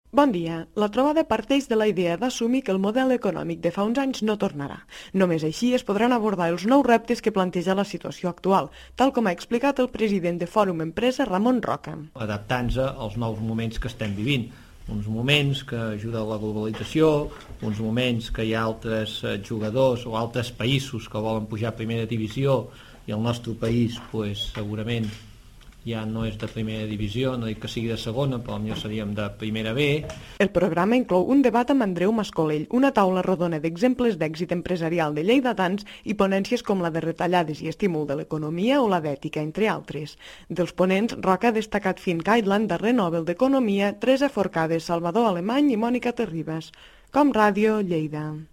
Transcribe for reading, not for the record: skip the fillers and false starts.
Bon dia. La trobada parteix de la idea d'assumir que el model econòmic de fa uns anys no tornarà. Només així es podran abordar els nous reptes que planteja la situació actual, tal com ha explicat el president de Fòrum Empresa, Ramon Roca. Adaptant-se als nous moments que estem vivint. Uns moments que ajuda la globalització, uns moments que hi ha altres jugadors o altres països que volen pujar a primera divisió i el nostre país segurament ja no és de primera divisió, no dic que sigui de segona, però potser seríem de primera B. El programa inclou un debat amb Andreu Mascolell, una taula rodona d'exemples d'èxit empresarial de lleidatans i ponències com la de retallades i estímul de l'economia o la d'ètica, entre altres. Dels ponents, Roca ha destacat Finn Caitland, darrer Nobel d'Economia, Teresa Forcades, Salvador Alemany i Mònica Terribas. Com Ràdio, Lleida.